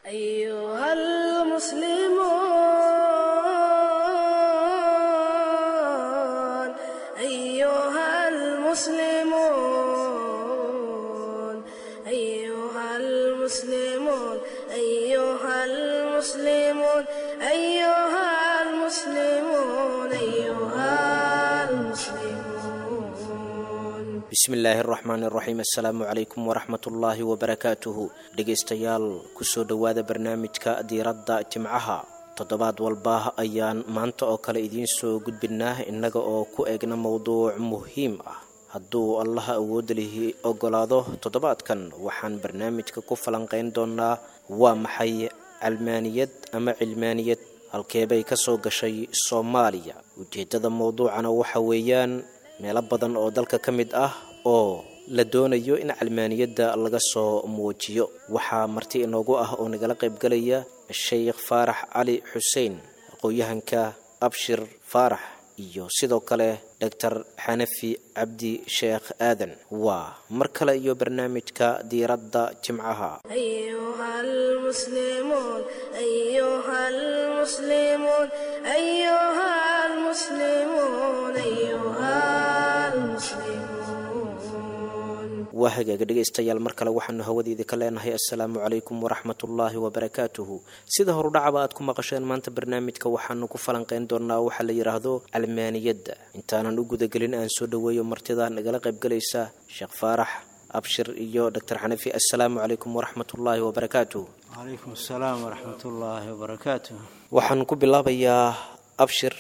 أيها المسلمون، أيها المسلمون، أيها المسلمون، أيها المسلمون، أيها المسلمون. Bismillaahi araxmaan iraxiim, assalaamu calaykum waraxmatullaahi wabarakaatuhu. Dhegaystayaal, kusoo dhowaada barnaamijka diiradda jimcaha. Toddobaad walba ayaan maanta oo kale idiin soo gudbinaa, innaga oo ku eegna mowduuc muhiim ah. Hadduu Allaha awoodda lihi ogolaado, toddobaadkan waxaan barnaamijka ku falanqayn doonaa: waa maxay calmaaniyad ama cilmaaniyad, halkeebay ka soo gashay Soomaaliya? Ujeeddada mowduucana waxa weeyaan meelo badan oo dalka ka mid ah oo la doonayo in calmaaniyadda laga soo muujiyo. Waxaa marti inoogu ah oo nagala qaybgalaya Sheikh Faarax Cali Xuseen, aqoon-yahanka Abshir Faarax, iyo sidoo kale Doctor Xanafi Cabdi Sheekh Aadan. Waa mar kale iyo barnaamijka diiradda jimcaha. أيها المسلمون، أيها المسلمون، أيها المسلمون، أيها المسلمون. Waa hagaaga, dhegaystayaal, mar kale waxaanu hawadeeda ka leenahay assalaamu calaykum waraxmatullaahi wabarakaatuhu. Sida horudhacaba aad ku maqasheen, maanta barnaamijka waxaanu ku falanqayn doonaa waxaa la yidhaahdo calmaaniyadda. Intaanan u gudagelin, aan soo dhoweeyo martida nagala qaybgalaysa, Sheekh Faarax, Abshir iyo Doctor Xanafi. Assalaamu calaykum waraxmatullaahi wabarakaatuhu. Calaykum asalaam waraxmat ullaahi wabarakaatuh. Waxaan ku bilaabayaa Abshir.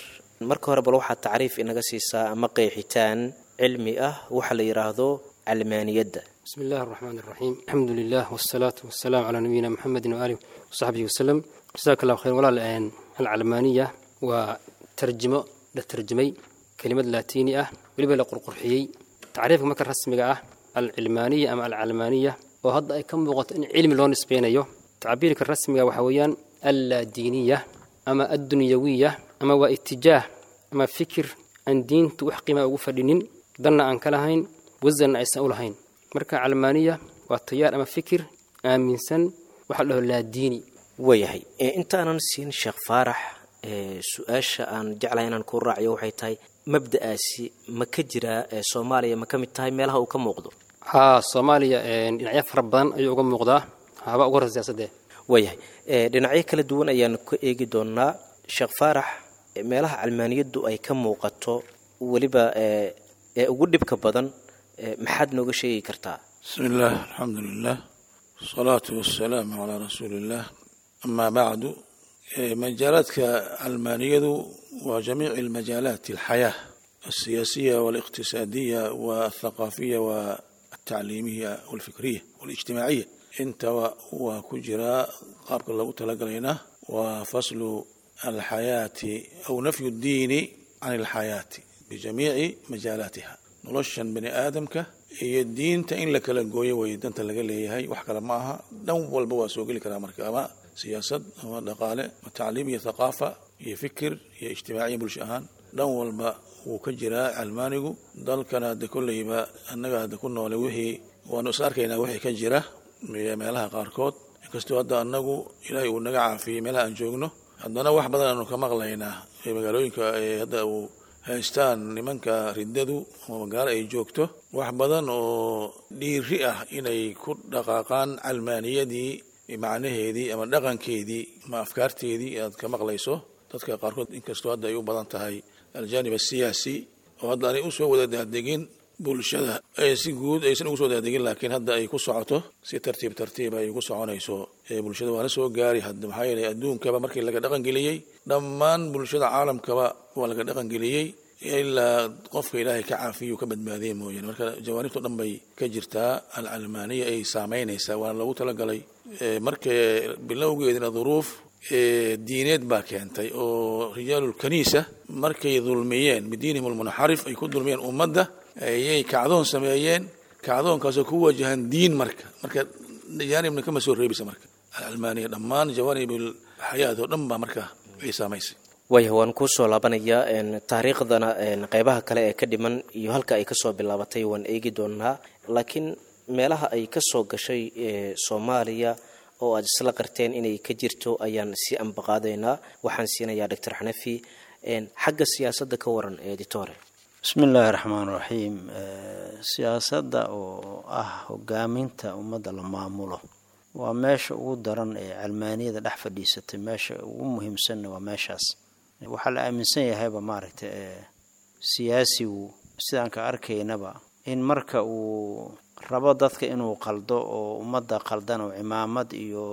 Marka hore bal waxaad tacriif inaga siisaa ama qeexitaan cilmi ah waxaa la yidhaahdo calmaaniyadda. Bismi اllah الرحmn الرaxيim, alxamdu lilah wالsalaaةu waالsalaam calى nabiyina mxamedi وaalih وsaxbihi waslem. Jaزak اllah khayr walaal. Alcalmaaniya waa tarjimo la tarjimay kelimad laatiini ah, weliba la qurqurxiyey. Tacriifka marka rasmiga ah, alcilmaaniya ama alcalmaaniya, oo hadda ay ka muuqato in cilmi loo nisbeynayo, tacbiirka rasmiga waxaa weeyaan allaadiiniya ama addunyawiya, ama waa itijaah ama fikir aan diintu wax qiimaa ugu fadhinin, danna aan ka lahayn, wasanna aysan u lahayn. Marka calmaaniya waa tayaar ama fikir aaminsan waxa la dhaho laadiini. Waayahay, intaanan siin Sheekh Faarax, su-aasha aan jeclahay inaan kuu raaciyo waxay tahay: mabda'aasi ma ka jiraa Soomaaliya? Ma ka mid tahay meelaha uu ka muuqdo? Haa, Soomaaliya dhinacyo fara badan ayuu uga muuqdaa, haba uga horreysa siyaasadee. Waayahay, dhinacyo kala duwan ayaanu ka eegi doonaa. Sheekh Faarax, meelaha calmaaniyaddu ay ka muuqato weliba ee ugu dhibka badan, maxaad nooga sheegi kartaa? Bismi illaah, alxamdu lilah, wasalaatu wasalaamu calaa rasuuli illah, amaa bacdu. Majaalaadka calmaaniyadu waa jamiic almajaalaat alxayaa alsiyaasiya waaliqtisaadiya walthaqaafiya waltacliimiya walfikriya walijtimaaciya, intaba waa ku jiraa. Qaabka loogu talagalayna waa faslu alxayaati aw nafyu ddiini can alxayaati bijamiici majaalaatiha. Noloshan bani aadamka iyo diinta in la kala gooyo way danta laga leeyahay, wax kale ma aha. Dhan walba waa soo geli karaa marka, ama siyaasad ama dhaqaale ama tacliim iyo thaqaafa iyo fikir iyo ijtimaaciya, bulsho ahaan dhan walba wuu ka jiraa calmaanigu. Dalkana hadde kolleyba annaga hadda ku noole wixii waanu is arkaynaa wixii ka jira meelaha qaarkood. Inkastoo hadda annagu Ilaahay uu naga caafiyey meelaha aan joogno, haddana wax badan aanu ka maqlaynaa magaalooyinka hadda uu haystaan nimanka riddadu ama magaalo ay joogto, wax badan oo dhiiri ah inay ku dhaqaaqaan calmaaniyadii macnaheedii ama dhaqankeedii ama afkaarteedii aad ka maqlayso dadka qaarkood. Inkastoo hadda ay u badan tahay aljaanib asiyaasi oo hadda aanay usoo wada daadegin bulshada si guud aysan ugu soo daadegin, laakiin hadda ay ku socoto si tartiib tartiib ay ugu soconayso bulshada, waana soo gaari hadda. Maxaa yeelay, adduunkaba markii laga dhaqangeliyey, dhammaan bulshada caalamkaba waa laga dhaqangeliyey, ilaa qofka Ilaahay ka caafiyu ka badbaadiyey mooyaane. Marka jawaanibto dhan bay ka jirtaa alcalmaaniya, ay saameynaysaa, waana loogu talagalay. Marka bilowgeedina duruuf diineed baa keentay, oo rijaalulkaniisa markay dulmiyeen bidiinihim almunxarif, ay ku dulmiyeen ummadda, ayay kacdoon sameeyeen, kacdoonkaasoo ku wajahan diin. Marka jaanibna kama soo reebisa marka alcalmaaniya, dhammaan jawaanib alxayaat oo dhan baa marka ay saamaysay. Waaya, waan kuusoo laabanayaa. Taariikhdana qeybaha kale ee ka dhiman iyo halka ay kasoo bilaabatay waan eegi doonaa, laakiin meelaha ay kasoo gashay Soomaaliya oo aad isla qarteen inay ka jirto ayaan sii ambaqaadaynaa. Waxaan siinayaa Doctor Xanafi xagga siyaasadda ka waran, editore. Bismi illaahi raxmaan raxiim. Siyaasadda oo ah hogaaminta ummadda la maamulo waa meesha ugu daran ee calmaaniyada dhex fadhiisatay. Meesha ugu muhiimsanna waa meeshaas. Waxaa la aaminsan yahayba, maaragtay, siyaasigu sidaan ka arkaynaba in marka uu rabo dadka inuu qaldo oo ummadda qaldan oo cimaamad iyo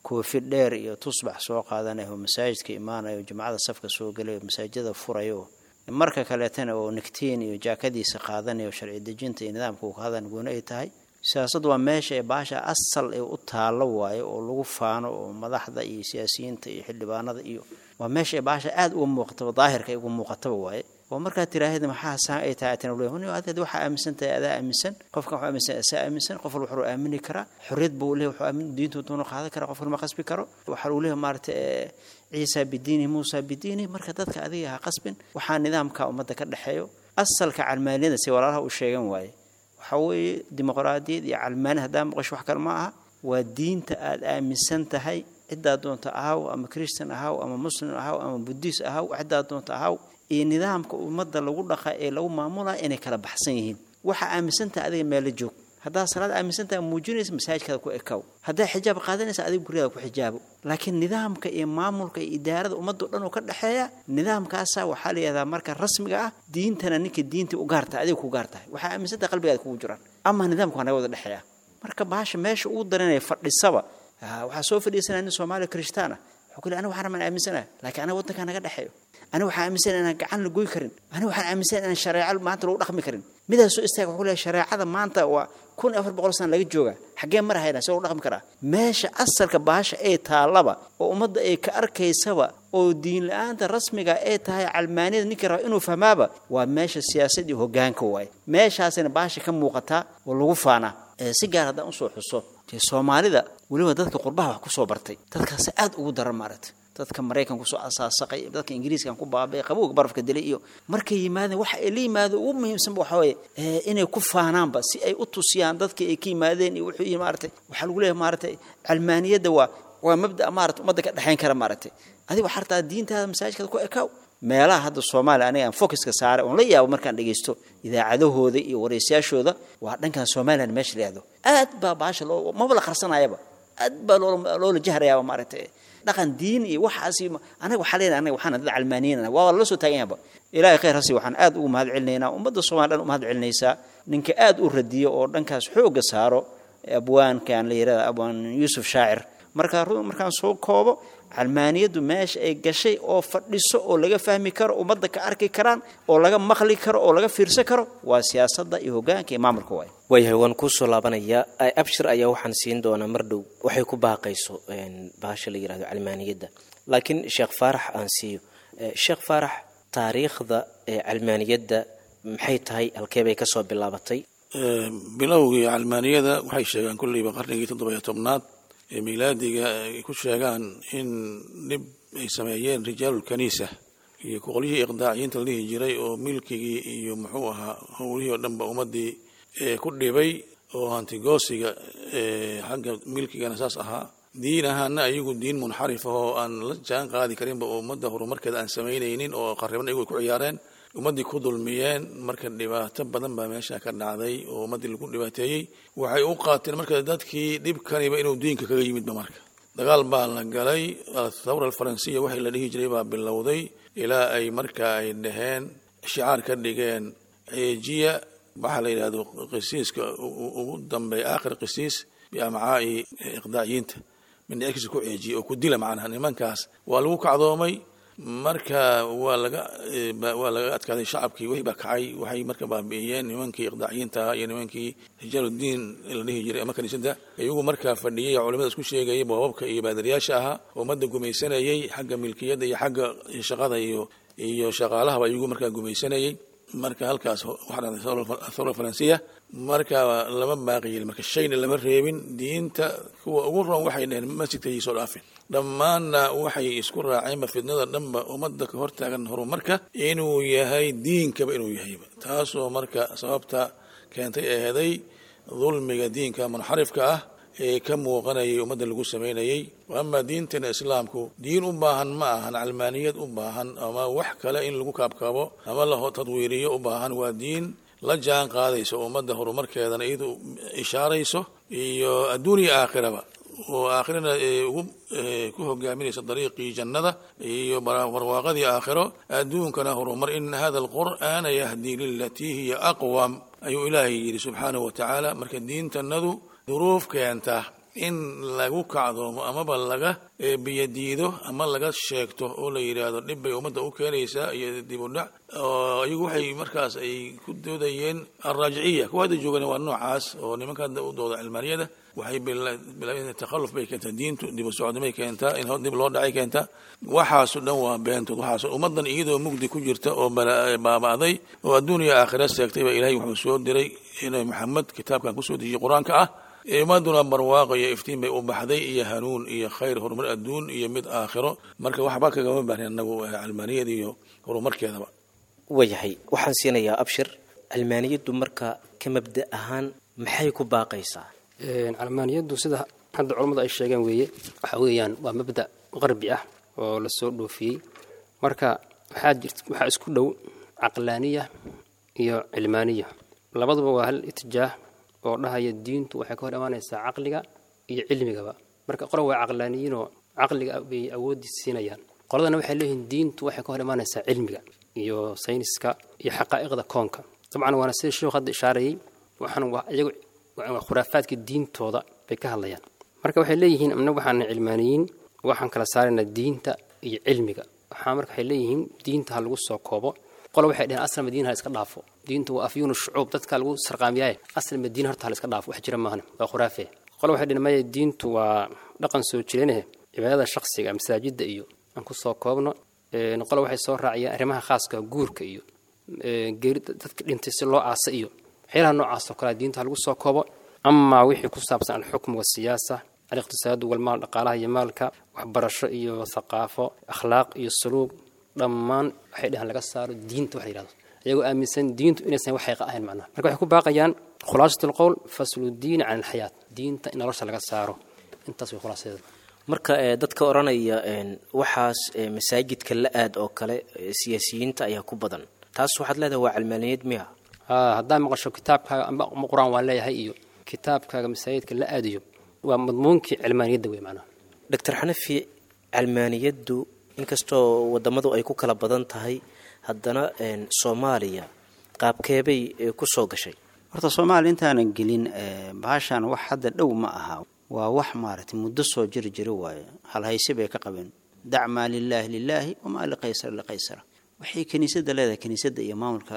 koofi dheer iyo tusbax soo qaadanayo oo masaajidka imaanayo, jumcada safka soo gelayo, masaajidada furayo, marka kaleetana oo nigtiin iyo jaakadiisa qaadanayo, sharci dejinta iyo nidaamka uu ka hadan gooni ay tahay. Siyaasaddu waa meesha ee baasha asal ee u taallo waayo oo lagu faano, oo madaxda iyo siyaasiyiinta iyo xildhibaanada iyo waa meesha ee baasha aada uga muuqataba, daahirka ay uga muuqataba waaye. Oo markaad tiraahda maxaa saan ay tahay, tan leeyahay adeed waxaa aaminsan tahay, adaa aaminsan, qofkan wuxuu aaminsan asaa aaminsan, qof walba wuxuu aamini karaa, xorriyad buu leeyahay, wuxuu aamin diintu doonu qaadan karaa, qofkan ma qasbi karo. Waxaa uu leeyahay, maaragtay, Ciisa bidiini, Muusa bidiini. Marka dadka adiga ha qasbin, waxaa nidaamka ummadda ka dhexeeyo. Asalka calmaaniyada si walaalaha u sheegan waaye, waxaa weeye dimuqraadiyad iyo calmaani haddaa maqasho wax kale ma aha, waa diinta aada aaminsan tahay, ciddaa doonta ahaw, ama Christian ahaw, ama Muslim ahaw, ama Buddhist ahaw, ciddaa doonta ahaw, iyo nidaamka ummadda lagu dhaqa ee lagu maamulaya inay kala baxsan yihiin. Waxaa aaminsantahay adiga meelo joog. Haddaa salaad aaminsantahay muujinaysa, masaajidkaada ku ekaw. Haddaa xijaab qaadanaysa, adiga guryaada ku xijaabo. Laakiin nidaamka iyo maamulka iyo idaarada ummadda o dhan oo ka dhexeeya, nidaamkaasa waxaa la yihahdaa marka rasmiga ah diintana. Ninka diinta u gaar tahay, adiga ku gaar tahay, waxaa aaminsantahay qalbigaada kugu jiraan, ama nidaamka waa naga wada dhexeeya. Marka baasha meesha ugu daranaya fadhisaba, waxaa soo fadhiisanaya nin Soomaaliya Kirishtaan ah, wuxuu ku leeyahay aniga waxaan rabaan aaminsanahay, laakiin aniga waddankaa naga dhexeeyo. Aniga waxaan aaminsanahay inaan gacan la goy karin. Aniga waxaan aaminsanahay inaan shareeco maanta lagu dhaqmi karin. Midaas soo istaaga wuxuu leeyahay shareecada maanta waa 1400 sana laga joogaa, xaggee mar haynaa, see lagu dhaqmi karaa? Meesha asalka baasha ee taallaba oo ummadda ay ka arkaysaba oo diin la-aanta rasmiga ay tahay calmaaniyada, ninkii raba inuu fahmaaba, waa meesha siyaasad iyo hoggaanka waaye. Meeshaasina baasha ka muuqataa oo lagu faanaa. Si gaar haddaan usoo xuso Soomaalida, weliba dadka qurbaha wax kusoo bartay, dadkaasi aada ugu daran, maaragtay, dadka Maraykan kusoo asaasaqay, dadka Ingiriiskan ku baabay, qabowga barafka dilay, iyo markay yimaadeen waxa ay la yimaadeen ugu muhiimsanba waxa weeye inay ku faanaanba si ay u tusiyaan dadka ay ka yimaadeen. Iyo wuxuu yihi, maaragtay, waxaa lagu leeyahay, maaragtay, calmaaniyadda waa mabda, maaragtay, ummadda ka dhexayn kara. Maaragtay, adiga waxaa rabtaa diintaada masaajidkaada ku ekaaw. Meelaha hadda Soomaaliya aniga aan focuska saaray oon la yaabo markaan dhegeysto idaacadahooda iyo wareysayaashooda waa dhankan Somaliland meesha la yihahdo. Aad baa baasha loo maba la qarsanayaba, aad baa loola jahrayaaba, maaragtay, dhaqan diin iyo waxaas. Anaga waxaa leenahay anaga waxaan dad calmaaniyiin, waa lala soo taagan yahaba. Ilaahay khayr hasi. Waxaan aad ugu mahad celinaynaa, ummadda Soomaaliya dhan u mahad celinaysaa, ninka aad u radiyo oo dhankaas xoogga saaro, abwaankan la yihahda Abwaan Yuusuf Shaacir. Marka markaan soo koobo, calmaaniyaddu meesha ay gashay oo fadhiso oo laga fahmi karo, ummadda ka arki karaan oo laga maqli karo oo laga fiirsan karo, waa siyaasadda iyo hoggaanka iyo maamulka waay. Waayahay, waan kuusoo laabanayaa. Abshir ayaa waxaan siin doonaa mar dhow waxay ku baaqayso bahasha la yihahdo calmaaniyadda, laakiin Sheekh Faarax aan siiyo. Sheekh Faarax, taariikhda calmaaniyadda maxay tahay? Halkee bay kasoo bilaabatay? Bilowgii calmaaniyada waxay sheegaan kulleyba qarnigii 17aad ee miilaadiga ay ku sheegaan in dhib ay sameeyeen rijaalulkaniisa iyo qolyihii iqdaaciyiinta la dhihi jiray, oo milkigii iyo muxuu ahaa howlihii oo dhanba ummaddii ku dhibay, oo hantigoosiga xagga milkigana saas ahaa, diin ahaana ayagu diin munxarif ah oo aan la jaan qaadi karinba oo ummadda horumarkeeda aan samaynaynin oo qarriban ayagu ay ku ciyaareen, ummaddii ku dulmiyeen. Marka dhibaato badan baa meesha ka dhacday oo ummaddii lagu dhibaateeyey. Waxay u qaateen marka dadkii dhibkaniba inuu diinka kaga yimidba. Marka dagaal baa la galay, athawra alfaransiya waxay la dhihi jiray baa bilowday, ilaa ay marka ay dhaheen, shicaar ka dhigeen ceejiya, waxaa la yidhahdo qisiiska ugu dambeeya, aakhir qisiis biamcaa'i iqdaaciyiinta, mindhicirkiisa ku ceejiya oo ku dila. Macnaha nimankaas waa lagu kacdoomay. Marka waa laga adkaaday shacabkii, wixii baa kacay, waxay marka baabi'iyeen nimankii iqdaaciyiinta ahaa iyo nimankii rijaaludiin la dhihi jiray ama kaniisadda iyagu markaa fadhiyey, culimada isku sheegayay, boobabka iyo baadariyaasha ahaa, ummadda gumaysanayey xagga milkiyadda iyo xagga shaqada iyo shaqaalahaba iyagu markaa gumaysanayey. Marka halkaas waxaa dhacday athawra faransiya. Marka lama baaqi yeelin, marka shayna lama reebin. Diinta kuwa ugu roon waxay dhaheen masjidka soo dhaafin. Dhammaanna waxay isku raaceenba fitnada dhanba ummadda ka hortaagan horumarka inuu yahay diinkaba inuu yahayba, taasoo marka sababta keentay eeday dulmiga diinka munxarifka ah. ee ka muuqanayay ummadda lagu samaynayay. Amaa diintana islaamku diin u baahan ma ahan calmaaniyad u baahan ama wax kale in lagu kaabkaabo ama la tadwiiriyo u baahan. Waa diin la jaan qaadayso ummadda horumarkeedana iyadu ishaarayso iyo adduun iyo aakhiraba, oo aakhirana ugu ku hogaaminaysa dariiqii jannada iyo barwaaqadii aakhiro, adduunkana horumar. In hada alqur'aana yahdii lilatii hiya aqwam ayuu ilaahay yidhi subxaanahu wa tacaala. Marka diintanadu duruuf keenta in lagu kacdoomo amaba laga biyadiido ama laga sheegto oo la yidhaahdo dhib bay ummadda u keenaysaa iyo dib u dhac, oo iyagu waxay markaas ay ku doodayeen alraajiciya. Kuwa hadda joogana waa noocaas oo nimanka hadda u dooda cilmaaniyada waxay bilaabeen takhalluf bay keentaa, diintu dib u socodnimay keentaa, in dib loo dhacay keentaa. Waxaaso dhan waa beentood. Waxaas ummaddan iyadoo mugdi ku jirta oo baaba'day oo adduun iyo aakhira seegtay baa ilaahay wuxuu soo diray inay Maxamed kitaabkan kusoo dejiyey qur-aanka ah. Ummaduna barwaaqo iyo iftiin bay u baxday iyo hanuun iyo khayr, horumar adduun iyo mid aakhiro. Marka waxba kagama baahnin annagu calmaaniyada iyo horumarkeedaba. Waayahay, waxaan siinayaa Abshir. Calmaaniyaddu marka ka mabda ahaan maxay ku baaqaysaa? Calmaaniyaddu sida hadda culammadu ay sheegeen weeye, waxa weeyaan waa mabda qarbi ah oo lasoo dhoofiyey. Marka waxaa jirt waxaa isku dhow caqlaaniya iyo cilmaaniya, labaduba waa hal itijaah oo dhahaya diintu waxay ka hor imaanaysaa caqliga iyo cilmigaba. Marka qolo waa caqlaaniyiinoo caqliga bay awoodii siinayaan, qoladana waxay leeyihiin diintu waxay ka hor imaanaysaa cilmiga iyo sayniska iyo xaqaa'iqda koonka. Dabcan waana sida sheekhu hadda ishaarayay, waxaan waa iyagu waa khuraafaadka diintooda bay ka hadlayaan. Marka waxay leeyihiin annagu waxaan cilmaaniyiin, waxaan kala saaraynaa diinta iyo cilmiga. Waxaa marka waxay leeyihiin diinta ha lagu soo koobo. Qolo waxay dhaheen aslan madiina ha iska dhaafo, diintu waa afyuunu shucuub, dadka lagu sarqaamiyaaye, aslan madiina horta ha la iska dhaafo, wax jira maahane, waa khuraafe. Qolo waxay dhaheen maya, diintu waa dhaqan soo jireenahe, cibaadada shakhsiga masaajidda iyo aan ku soo koobno. Qolo waxay soo raaciyeen arrimaha khaaska, guurka iyo geeri dadka dhintay si loo aasa iyo waxyaalaha noocaas oo kale diinta ha lagu soo koobo. Amaa wixii ku saabsan alxukm wasiyaasa, aliqtisaadu walmaal, dhaqaalaha iyo maalka, waxbarasho iyo thaqaafo, akhlaaq iyo suluug, dhammaan waxay dhahaan laga saaro diinta wax la yidhahdo, iyagoo aaminsan diintu inaysan wax xaqiiqa ahayn macnaha. Marka waxay ku baaqayaan khulaasatu alqowl faslu diin can alxayaat, diinta in nolosha laga saaro, intaas way khulaasadeeda. Marka dadka odhanaya waxaas masaajidka la aad oo kale siyaasiyiinta ayaa ku badan, taas waxaad leedahay waa calmaaniyad miya? Haddaa maqasho kitaabkaaga amba qur-aan waan leeyahay iyo kitaabkaaga masaajidka la aadayo, waa madmuunkii cilmaaniyadda wey macnaha. Doctor Xanafi, calmaaniyaddu inkastoo wadamadu ay ku kala badan tahay, haddana Soomaaliya qaabkeebay ku soo gashay? Horta soomaaliya intaanan gelin bahashan wax hadda dhow ma aha, waa wax maaragtay muddo soo jiri jira waaye. Halhayse bay ka qabeen, dac maa lilaahi lilaahi wamaa liqaysara liqaysara. Waxay kiniisadda leedahay kiniisadda iyo maamulka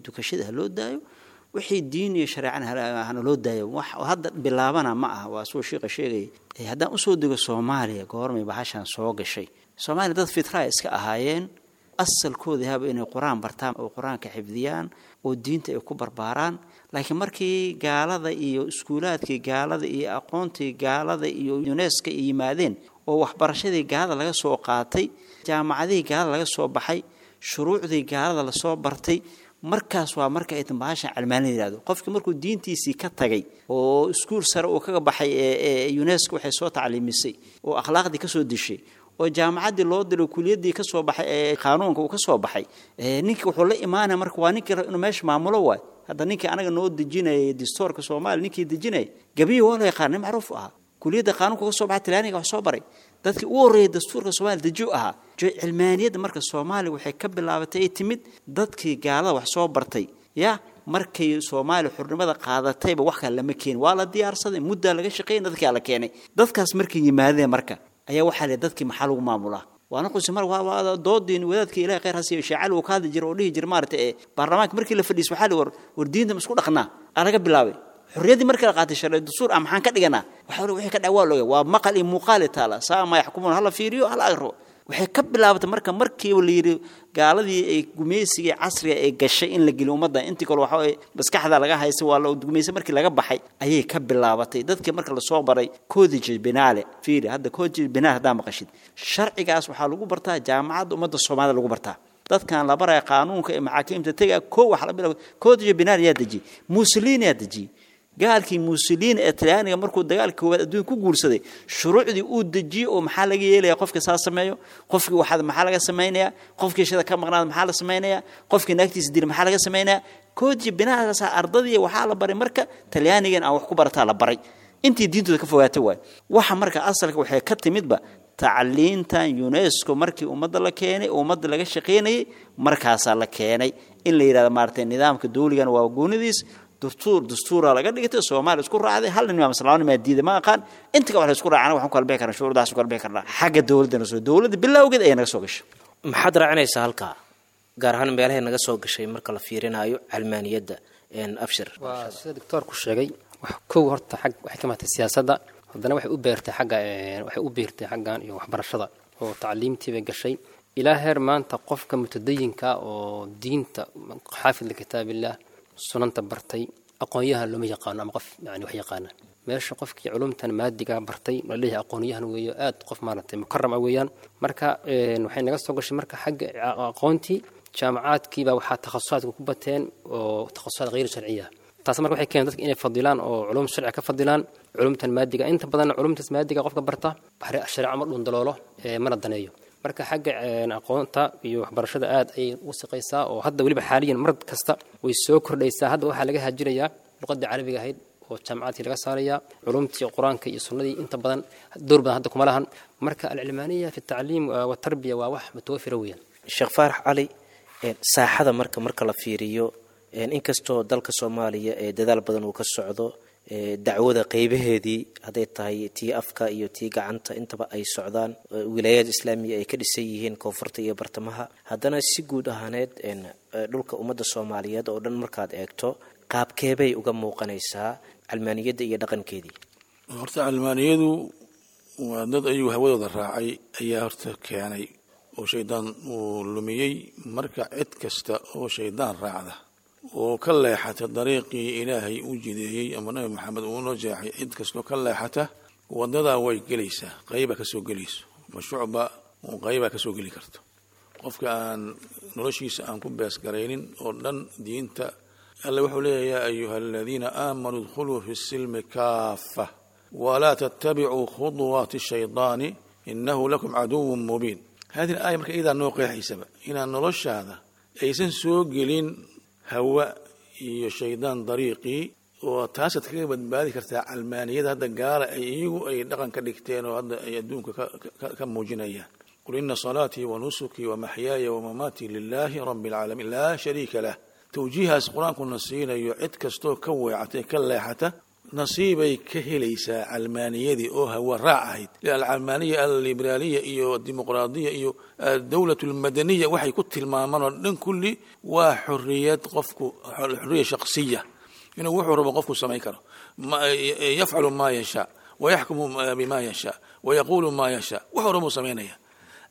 dukashada ha loo daayo, wixii diin iyo shareecana hana loo daayo. Wax hadda bilaabana ma aha, waa suu shiiqa sheegaya. Haddaan usoo dego soomaaliya, goormay bahashan soo gashay soomaaliya? Dad fitraa iska ahaayeen, asalkooda haba inay qur-aan bartaan oo qur-aanka xifdiyaan oo diinta ay ku barbaaraan. Laakiin markii gaalada iyo iskuulaadkii gaalada iyo aqoontii gaalada iyo uneska ay yimaadeen oo waxbarashadii gaalada laga soo qaatay, jaamacadihii gaalada laga soo baxay, shuruucdii gaalada lasoo bartay, markaas waa marka ay tan bahashan calmaanida yihahdo. Qofkii markuu diintiisii ka tagay oo iskuul sare uu kaga baxay ee unesco waxay soo tacliimisay oo akhlaaqdii kasoo dishay oo jaamacaddii loo diray, kuliyaddii ka soo baxay ee qaanuunka uu ka soo baxay, ninkii wuxuu la imaanaya marka waa ninkii inuu meesha maamulo waay. Hadda ninkii anaga noo dejinayay distoorka soomaaliya, ninkii dejinayay gabiyi waa la yaqaan, nin macruuf ahaa, kuliyadda qaanuunka ka soo baxay, talyaaniga wax soo baray, dadkii ugu horreeyay dastuurka soomaaliya dejiyu ahaa. Cilmaaniyadda marka soomaaliya waxay ka bilaabatay ay timid dadkii gaalada wax soo bartay ya markay soomaaliya xurnimada qaadatayba wax kale lama keenin, waa la diyaarsaday, muddaa laga shaqeeyay, dadkaa la keenay. Dadkaas markay yimaadeen marka ayaa waxaa la dadkii maxaa lagu maamulaa? Waana qusi mar waa doodiin wadaadkii ilaahay khayr ha siiyo Sheecali uu ka hadli jiray oo dhihi jiray maaragtay ee baarlamaanka markii la fadhiis waxaa la war diinta ma isku dhaqnaa aa laga bilaabay. Xorriyaddii markii la qaatay sharci dastuur ah maxaan ka dhiganaa? Waxa wixii ka dhac waa looga waa maqal iyo muuqaal taala saa ma yaxkumuun, hala fiiriyo hala agro. Waxay ka bilaabatay marka markiiba la yidhi gaaladii ay gumaysigii casriga ay gashay in la geliyo ummadda intii kale waxa maskaxda laga haystay waa la gumaysay. Markii laga baxay ayay ka bilaabatay dadkii marka lasoo baray codice penale. Fiiri hadda codice penale haddaa maqashid, sharcigaas waxaa lagu bartaa jaamacadda ummadda soomaalida lagu bartaa. Dadkan la baraya qaanuunka ee maxaakiimta tega koo waxa la bilaabay codice penale yaa dejiyey, Mussolini yaa dejiyey. Gaalkii Mussolini ee Talyaaniga markuu dagaalka koowaad adduunka ku guursaday, shuruucdii uu dejiyey oo maxaa laga yeelayaa qofka saa sameeyo, qofkii waxaad maxaa laga samaynayaa, qofkii shada ka maqnaada maxaa la samaynayaa, qofkii naagtiisa dila maxaa laga samaynayaa, koodji binahaasa ardadii waxaa la baray. Marka Talyaanigan aan wax ku barataa la baray intii diintooda ka fogaatay waay. Waxa marka asalka waxay ka timidba tacliintan UNESCO markii ummadda la keenay, ummadda laga shaqaynayay, markaasaa la keenay in la yidhahdo maaragtay nidaamka dawligan waa goonidiis, dastuura laga dhigtay, Soomaaliya isku raacday. Hal nin maa laba nin maa diiday, ma aqaan inta ka wax la isku raacana. Waxaan ku kala bixi karnaa shuruudaas, ku kala bixi karnaa xagga dowladdana soo dowladda bilowgeed ayay naga soo gashay. Maxaad raacinaysaa halkaa, gaar ahaan meelahay naga soo gashay marka la fiirinayo calmaaniyadda, Abshir? Waa sida doctoorku sheegay. Wax kow horta xag waxay ka maatay siyaasadda, haddana waxay u beertay xagga, waxay u beertay xaggan iyo waxbarashada oo tacliimtii bay gashay ilaa heer maanta qofka mutadayinka oo diinta xaafid likitaabillah sunanta bartay aqoonyahan looma yaqaano, ama qof yani wax yaqaana. Meesha qofkii culumtan maadiga bartay la leeyahay aqoonyahan weeyo, aad qof maaragtay mukaram ah weeyaan. Marka waxay naga soo gashay marka xagga aqoontii jaamacaadkiibaa waxaa takhasusaadka ku bateen oo takhasusaad hayr sharciya. Taas marka waxay keeneen dadka inay fadilaan oo culum sharci ka fadilaan culumtan maadiga. Inta badan culumtaas maadiga qofka barta shareeco ma dhundaloolo, mana daneeyo. Marka xagga aqoonta iyo waxbarashada aad ayay u siqaysaa oo hadda weliba xaaliyan mar kasta way soo kordhaysaa. Hadda waxaa laga haajirayaa luqadii carabiga ahayd oo jaamacaadkii laga saarayaa, culumtii qur-aanka iyo sunnadii inta badan door badan hadda kuma lahan. Marka alcilmaaniya fi tacliim watarbiya waa wax mutawafira weeyaan. Sheekh Faarax Cali, saaxada marka la fiiriyo, inkastoo dalka Soomaaliya ee dadaal badan uu ka socdo, dacwada qeybaheedii hadday tahay tii afka iyo tii gacanta intaba ay socdaan, wilaayaad islaamiya ay ka dhisan yihiin koonfurta iyo bartamaha, haddana si guud ahaaneed dhulka ummadda Soomaaliyeed oo dhan markaad eegto, qaabkeebay uga muuqanaysaa calmaaniyadda iyo dhaqankeedii? Horta calmaaniyadu waa dad ayuu hawadooda raacay ayaa horta keenay oo shaydaan uu lumiyey. Marka cid kasta oo shaydaan raacda oo ka leexata dariiqii Ilaahay u jideeyey ama Nabi Maxamed uu noo jeexay, cid kastoo ka leexata wadadaa way gelaysaa, qayba kasoo gelayso mashuucba qayba kasoo geli karto. Qofka aan noloshiisa aan ku beesgaraynin oo dhan diinta Alle wuxuu leeyahay: yaa ayuha aladiina aamanuu idkhuluu fi silmi kaafa walaa tattabicuu khuduwaati shaydaani inahu lakum caduwun mubiin. Hadihi aaya marka iyadaa noo qeexaysaba inaan noloshaada aysan soo gelin hawa iyo shaydaan dariiqii, oo taasaad kaga badbaadi kartaa calmaaniyada hadda gaala ay iyagu ay dhaqan ka dhigteen oo hadda ay adduunka ka muujinayaan. Qul ina salaatii wa nusukii wa maxyaaya wa mamaatii lilaahi rabbi alcaalamiin laa shariika lah. Tawjiihaas qur-aankuna siinayo, cid kastoo ka weecatay ka leexata nasiibay ka helaysaa calmaaniyadii oo hawa raac ahayd. Alcalmaaniya allibraaliya iyo dimuqraadiya iyo adowlat almadaniya waxay ku tilmaamaan oo dhan kulli waa xoriyad qofku, xoriya shakhsiya, inuu wuxuu rabo qofku samayn karo, yafcalu maa yashaa wayaxkumu bima yashaa wayaquulu maa yashaa, wuxuu rabo samaynaya.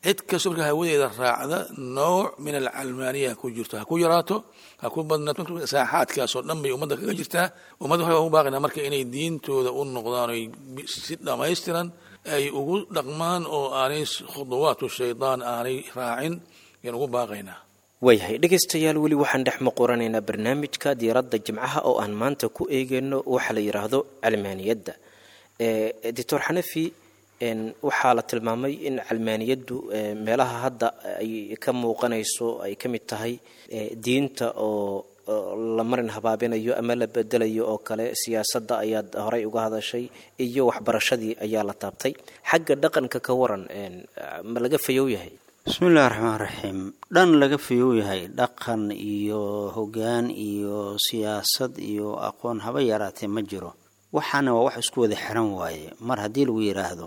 Cid kastoo marka hawadeeda raacda nooc min alcalmaaniya ku jirto, ha ku yaraato ha ku badnaato, saaxaadkaasoo dhan bay ummadda kaga jirtaa. Ummadda waxay ugu baaqinaa marka inay diintooda u noqdaan oy si dhammaystiran ay ugu dhaqmaan oo aanay khuduwaatu shaydaan aanay raacin ayaan ugu baaqaynaa. Waayahay dhegaystayaal, weli waxaan dhex muquranaynaa barnaamijka diiradda Jimcaha oo aan maanta ku eegayno waxa la yidhaahdo calmaaniyadda. Doctor Xanafi, waxaa la tilmaamay in calmaaniyaddu meelaha hadda ay ka muuqanayso ay ka mid tahay diinta oo la marin habaabinayo ama la bedelayo oo kale, siyaasadda ayaad horay uga hadashay iyo waxbarashadii ayaa la taabtay. Xagga dhaqanka ka waran, ma laga fayow yahay? Bismi illahi raxmaan raxiim. Dhan laga fayow yahay dhaqan iyo hoggaan iyo siyaasad iyo aqoon haba yaraatee ma jiro. Waxaana waa wax isku wada xiran waaye. Mar haddii lagu yidhaahdo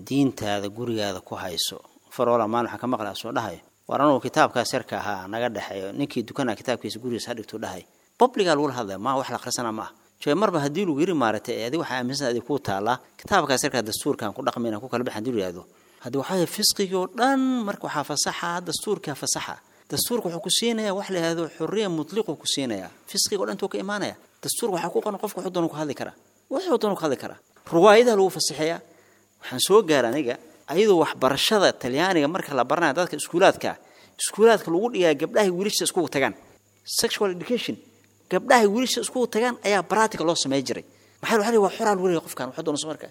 diintaada gurigaada ku hayso, faroola maalin waxaan ka maqlaa soo dhahay: war anugu kitaabkaas yarka ahaa naga dhexeeyo, ninkii dukanaa kitaabkiisa gurigiisa ha dhigtuu dhahay. Publigaa lagula hadlaya maa wax la akhrisana ma ah jee. Marba haddii lagu yiri maaragtay ee adiga waxaa aaminsan adig kuu taallaa kitaabkaas yarkaa dastuurkaan ku dhaqmayna ku kala baxan hadii lu yihahdo, haddii waxaa fisqigii oo dhan marka waxaa fasaxa dastuurkaa fasaxa. Dastuurka wuxuu ku siinayaa wax la yihahdo xurriya mutliquu ku siinayaa, fisqiga o dhan intuu ka imaanaya. Dastuurka waxaa ku qoran qofka wuxuu doonu ku hadli karaa, wuxuu doonu ku hadli karaa, ruwaayadaha lagu fasaxeeyaa. Waxaan soo gaara aniga ayadoo waxbarashada Talyaaniga marka la baranayo dadka iskuulaadka lagu dhigaa gabdhaha wiilasha iskugu tagaan sexual education. Gabdhaha wiilasha isku tagaan ayaa practical loo sameey jiray. Maxaa waxa waa xoraan wariga qofkan waxa doonayso marka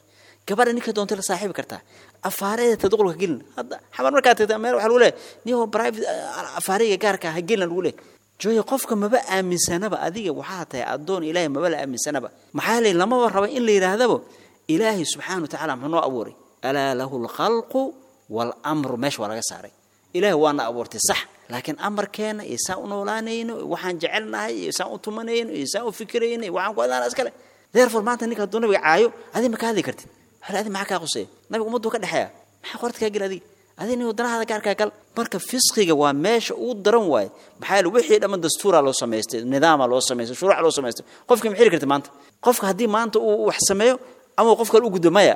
gabadha ninka doonta la saaxiibi kartaa, afaareeda tadqulka gelin. Hadda xabar markaa tagta meel waxa lagu leeyahay niyo private afaariga gaarka ha gelin lagu leeyahay. Jooy qofka maba aaminsanaba, adiga waxaa tahay adoon Ilaahay maba la aaminsanaba. Maxaa leeyahay lamaba rabo in la yiraahdaba Ilaahay subxaanahu wa ta'aala muxuu noo abuuray, alaa lahu alkhalqu wal amru, meesha waa laga saaray. Ilaahay waana abuurtay sax, laakiin amarkeena iyo saan u noolaanayno, waxaan jecelnahay iyo saan u tumanayno iyo saan u fikirayno, waxaan ku adaan iskale. Therefore maanta ninka hadduu nabiga caayo adiga ma ka hadli kartid. Hal adiga maxaa kaa quseeya? Nabiga ummaddu ka dhexeeya, maxaa qorta kaa gel adiga? Adiga nin wadanahaada gaarkaa gal. Marka fisqiga waa meesha ugu daran waaye. Maxaa yeele wixii dhamman dastuuraa loo samaystay, nidaamaa loo samaystay, shuruuca loo samaystay. Qofka ma xiri kartid maanta. Qofka haddii maanta uu wax sameeyo ama qof kale u gudbo, maya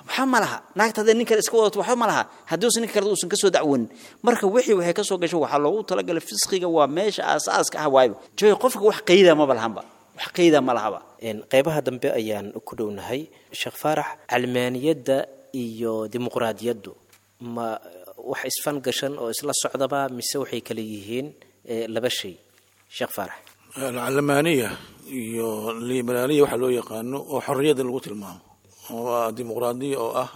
waxba ma laha. Naagta hadday nin kale iska wadato waxba ma laha, haddii uusan ninka kale uusan ka soo dacwanin. Marka wixii waxay ka soo gasho waxaa loogu talagalay fisqiga, waa meesha aasaaska ah waayba. Jooy qofka wax qeyda maba lahanba, wax qeyda ma lahaba. Qeybaha dambe ayaan ku dhownahay. Sheekh Faarax, calmaaniyadda iyo dimuqraadiyaddu ma wax isfan gashan oo isla socdaba mise waxay kala yihiin laba shay? Sheekh Faarax. Alcalmaaniya iyo liberaaliya waxaa loo yaqaano oo xorriyadda lagu tilmaamo waa dimuqraadiya oo ah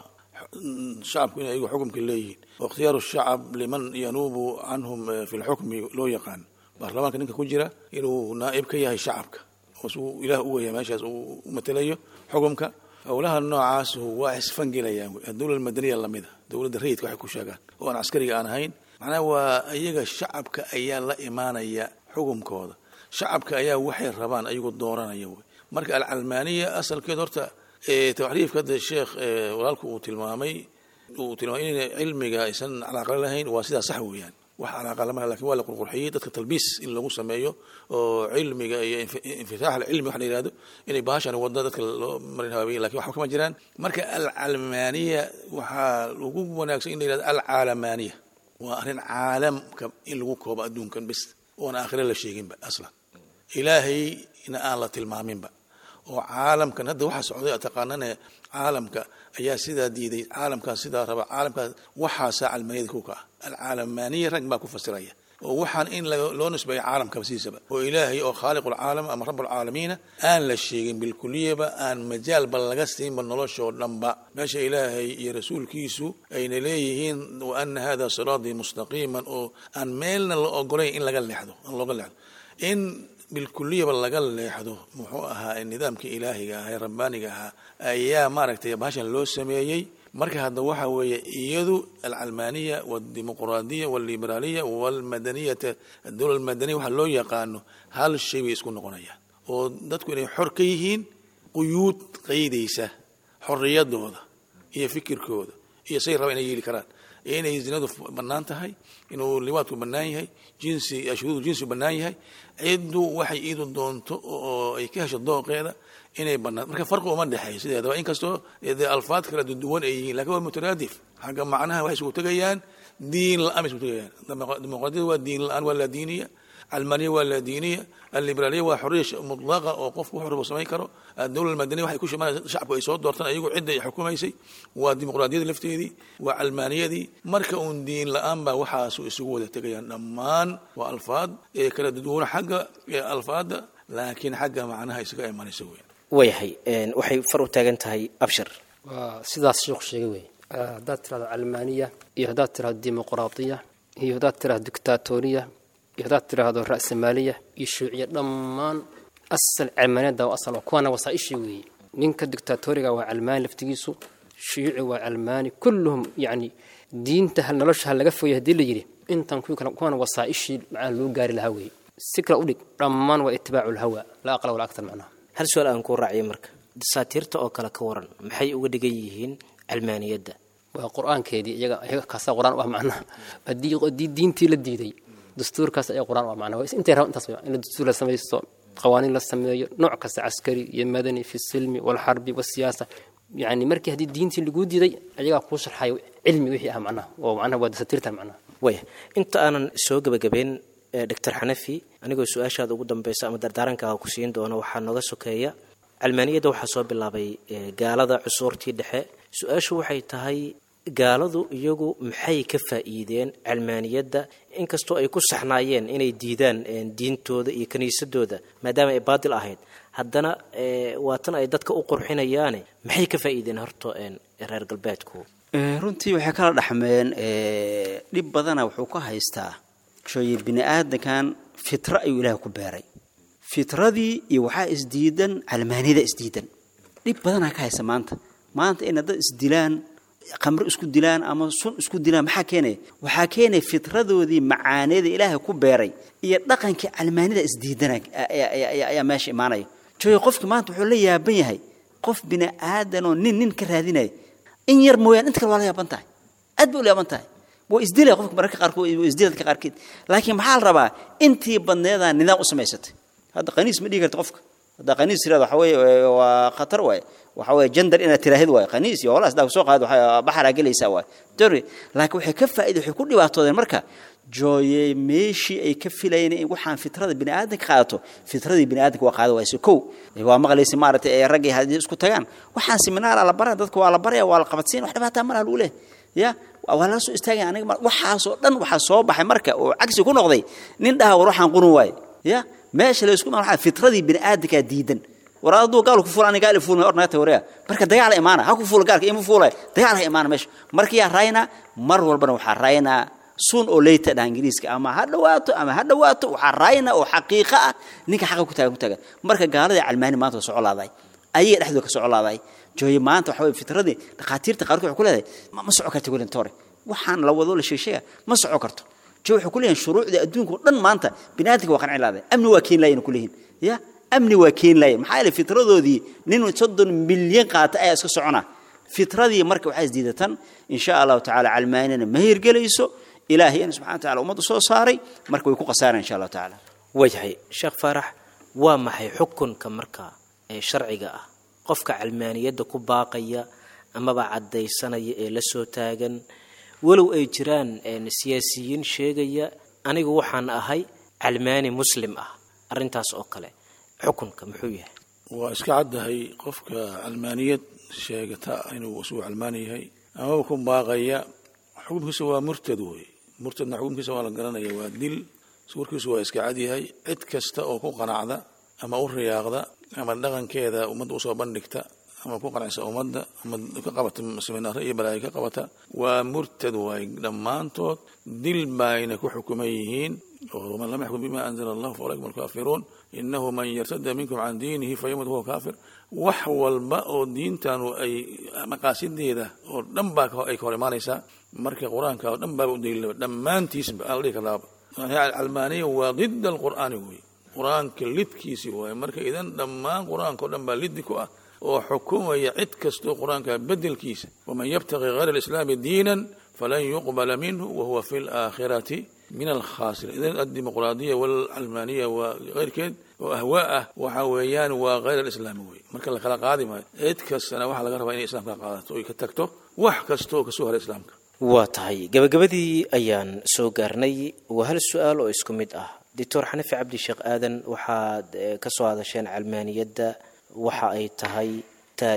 shacabku inay iyagu xukumka leeyihiin, oo ikhtiyaaru shacab liman yanuubu canhum fi lxukmi loo yaqaan. Baarlamaanka ninka ku jira inuu naa'ib ka yahay shacabka oo suu ilaah u weeya meeshaas uu u matalayo xukumka. Howlaha noocaas waa isfangelayaan. Dowlad madaniya lamida dowladda rayidka waxay ku sheegaan oo aan caskariga aan ahayn, macnaha waa iyaga shacabka ayaa la imaanaya xukumkooda, shacabka ayaa waxay rabaan ayagu dooranaya wey. Marka alcalmaaniya asalkeed horta tacriifka hadda sheekh walaalku uu tilmaamay inay cilmiga aysan calaaqa lahayn waa sidaa sax weeyaan, wax calaaqa lama laha, lakin waa la qurqurxiyey dadka talbiis in lagu sameeyo oo cilmiga iyo infitaax alcilmi waxa la yihahdo inay bahashan wadda dadka loo marin habaabiyey, lakin waxba kama jiraan. Marka alcalmaaniya waxaa ugu wanaagsan in la yihahdo alcaalamaaniya, waa arrin caalamka in lagu koobo adduunkan bis oon aakhire la sheeginba aslan, ilaahayna aan la tilmaaminba, oo caalamkan hadda waxa socday taqaanane caalamka ayaa sidaa diiday, caalamkaas sidaa raba, caalamkaas waxaasaa calmaaniyada ku ka ah. Alcaalamaaniya rag baa ku fasiraya oo waxaan in loo nisbeeyo caalamkaba sidiisaba, oo ilaahay oo khaaliqulcaalam ama rabbulcaalamiina aan la sheegin bilkuliyaba, aan majaalba laga siinba noloshoo dhanba. Meesha ilaahay iyo rasuulkiisu ayna leeyihiin wa ana hada siraatii mustaqiiman, oo aan meelna la ogolayn in laga leexdo, aan looga leexdo, in bilkuliyaba laga leexdo muxuu ahaa nidaamkii ilaahiga ahaa ee rabbaaniga ahaa ayaa maaragtay bahashan loo sameeyey. Marka hadda waxa weeye iyadu alcalmaaniya waldimuqraadiya walliberaliya walmadaniyata adowla almadaniya waxa loo yaqaano hal shay bay isku noqonayaan, oo dadku inay xor ka yihiin quyuud qaydaysa xorriyadooda iyo fikirkooda iyo say raba inay yeeli karaan, iyo inay zinadu bannaan tahay, inuu liwaadku bannaan yahay, jinsi shuruudu jinsi bannaan yahay, ciddu waxay iidu doonto oo ay ka hesho dooqeeda inay bannaan. Marka farqi uma dhexeeyo sideedaba, inkastoo dee alfaad kala duwan ay yihiin, lakin waa mutaraadif xagga macnaha. Waxay isugu tegayaan diin la-aan bay isugu tegayaan. Dimuqraadiyada waa diin la-aan, waa laa diiniya. Calmaaniya waa laa diiniya. Alliberaliya waa xorriya mutlaqa oo qofku wuxuu rabo samayn karo. Adowla almadaniya waxay ku shimanaysa shacabku ay soo doortaan ayagu cidda ay xukumaysay, waa dimuqraadiyada lafteedii, waa calmaaniyadii. Marka uun diin la-aan baa waxaasu isugu wada tegayaan dhammaan. Waa alfaad ee kala duwan xagga alfaadda, laakiin xagga macnaha isaga imanaysa weyn. Waayahay, waxay far u taagan tahay Abshir. Waa sidaas sheekhu sheegay wey. Haddaad tirahdo calmaaniya iyo haddaad tirahdo dimuqraadiya iyo haddaad tirahdo dictatoriya iyo haddaad tiraahdo ra'samaaliya iyo shuuciya, dhammaan asal calmaaniyadda waa asal oo kuwaana wasaa'ishii weeye. Ninka dictatoriga waa calmaani laftigiisu, shuyuuci waa calmaani, kulluhum yacni diinta hal nolosha ha laga fogeey haddii la yidhi intan kuwii kale kuwaana wasaa'ishii macnaha loo gaari lahaa weeye. Si kale u dhig, dhammaan waa itibaacu lhawa, laa aqla walaa aktar macnaha. Hal su-aal aan kuu raaciyay, marka dasaatiirta oo kale ka waran, maxay uga dhigan yihiin calmaaniyadda? Waa qur-aankeedii iyaga, iyaga kaasaa qur-aan u ah macnaha. Haddii diintii la diiday, dastuurkaas ayaa qur-aan u ah macnaha. Intay rabaan intaas in la dastuur la samaysto, qawaaniin la sameeyo, nooc kasta caskari iyo madani, fi silmi walxarbi wasiyaasa. Yani markii haddii diintii laguu diiday, ayagaa kuu sharxayo cilmi wixii ah macnaha, oo macnaha waa dasaatiirtan macnaha. Waaya, inta aanan soo gebagabeyn Doctor Xanafi, anigoo su-aashaada ugu dambeysa ama dardaarankaa ku siin doono, waxaa nooga sokeeya calmaaniyadda waxaa soo bilaabay gaalada cusuurtii dhexe. Su-aashu waxay tahay Gaaladu iyagu maxay ka faa'iideen calmaaniyadda, inkastoo ay ku saxnaayeen inay diidaan diintooda iyo kiniisadooda maadaama ay baadil ahayd, haddana waa tan ay dadka u qurxinayaane, maxay ka faa'iideen horta reer galbeedku? Runtii waxay kala dhaxmeen dhib badana. Wuxuu ka haystaa jooye bini aadankan fitro ayuu ilaahay ku beeray, fitradii iyo waxaa isdiidan calmaaniyada isdiidan. Dhib badanaa ka haysta maanta. Maanta inay dad isdilaan, qamro isku dilaan ama sun isku dilaan, maxaa keenaya? Waxaa keenaya fitradoodii macaaniyada ilaahay ku beeray iyo dhaqankii calmaanida isdiidana ayaa meesha imaanaya. Jooye qofki maanta wuxuu la yaaban yahay qof bini aadanoo nin ka raadinaya in yar mooyaan, inta kale waa la yaaban tahay, aad bay ula yaaban tahay. Waa isdilaya qofka mararka qaarkood, waa isdila dadka qaarkeed. Laakiin maxaa la rabaa? Intii badneedaa nidaam u samaysatay. Hadda qaniis ma dhigi karta qofka. Hadda qaniis tirada waxa weeye waa khatar waaye, waxa weeye gender inaad tiraahid waaye, qaniis iyo holaas daa soo qaad, waxa baxaraa gelaysaa waaye dori. Laakiin waxay ka faa'iido, waxay ku dhibaatoodeen marka jooye meeshii ay ka filayeen in waxaan fitrada bini aadanka qaadato, fitradii bini aadanka waa qaada wayse. Kow waa maqlaysa maaragtay ee raggii haddii isku tagaan, waxaan seminaara la baraa, dadka waa la baraya, waa la qabadsiin, wax dhibaataa malaha lagu leeyahay, ya waa lala soo istaagaya. Aniga waxaasoo dhan waxaa soo baxay marka oo cagsi ku noqday nin dhaha war waxaan qurun waaye, ya meesha la isku waxaa fitradii bini aadankaa diidan. War hadduu gaal ku fuula, aniga gaal fuul ma ornaata wareega. Marka dagaal imaana, ha ku fuula gaalka ima fuulay, dagaal ha imaana meesha. Marka yaa raayna mar walbana waxaa raayna soon oo later dhaha Ingiriiska, ama ha dhawaato ama ha dhawaato, waxaa raayna oo xaqiiqo ah ninka xaqa ku taagan ku taagan. Marka gaaladii calmaani maanta waa socolaaday, ayaga dhexdooda ka socolaaday. Jooye maanta waxa weeye fitradii dhakhaatiirta qaarkood waxay ku leedahay ma soco karto welintore, waxaan la wado la sheegsheega ma soco karto. Jooye waxay ku leeyihin shuruucda adduunka oo dhan maanta bini'aadamka waa qancin laaday, amni waa keen laayeen ku leeyihin, ya amni waa keen laayeen. Maxaa yeelay fitradoodii nin 30 milyan qaata ayaa iska socona fitradii. Marka waxaa isdiidatan insha allahu tacaala calmaanina ma hirgelayso. Ilaahay in subxana wa taala ummadda soo saaray, marka way ku khasaareen insha allahu tacaala. Waayahay Sheekh Faarax, waa maxay xukunka marka ee sharciga ah qofka calmaaniyadda ku baaqaya amaba caddaysanaya ee la soo taagan, walow ay jiraan siyaasiyiin sheegaya anigu waxaan ahay calmaani muslim ah, arrintaas oo kale xukunka muxuu yahay? Waa iska caddahay qofka calmaaniyad sheegata inuu isugu calmaani yahay amaba ku baaqaya, xukunkiisa waa murtad wey. Murtadna xukunkiisa waa la garanaya, waa dil. Warkiisu waa iska cad yahay. Cid kasta oo ku qanacda ama u riyaaqda ama dhaqankeeda ummadda usoo bandhigta ama ku qancisa ummadda ama ka qabata seminaaro iyo balaayo ka qabata, waa murtad waay dhammaantood, dil bayna ku xukuman yihiin. Oo man lam yaxkum bima anzala allahu fa ulaika hum alkaafiruun, innahu man yartada minkum can diinihi fayamut huwa kaafir. Wax walba oo diintanu ay maqaasideeda oo dhan baa ay ka hor imaanaysaa. Marka qur-aanka oo dhan baaba u daliilaba dhammaantiisba aan la dhihi karnaaba calmaaniya waa dida alqur'aani wey, qur-aanka lidkiisi waaye. Marka idan dhammaan qur-aanka oo dhan baa lidi ku ah oo xukumaya cid kastoo qur-aanka bedelkiisa. Waman yabtaqi hayra alislaami diinan falan yuqbala minhu wahuwa fi laakhirati min alkhaasiriin. Idan addimuqraadiya walcalmaaniya waa keyrkeed oo ahwaa ah, waxa weeyaan waa hayr alislaami wey. Marka la kala qaadi maayo, cid kastana waxaa laga rabaa inay islaamka qaadato oy ka tagto wax kastoo kasoo haray islaamka. Waa tahay, gabagabadii ayaan soo gaarnay. Waa hal su-aal oo isku mid ah. Doctor Xanafi Cabdi Sheekh Aadan, waxaad ka soo hadasheen calmaaniyadda, waxa ay tahay,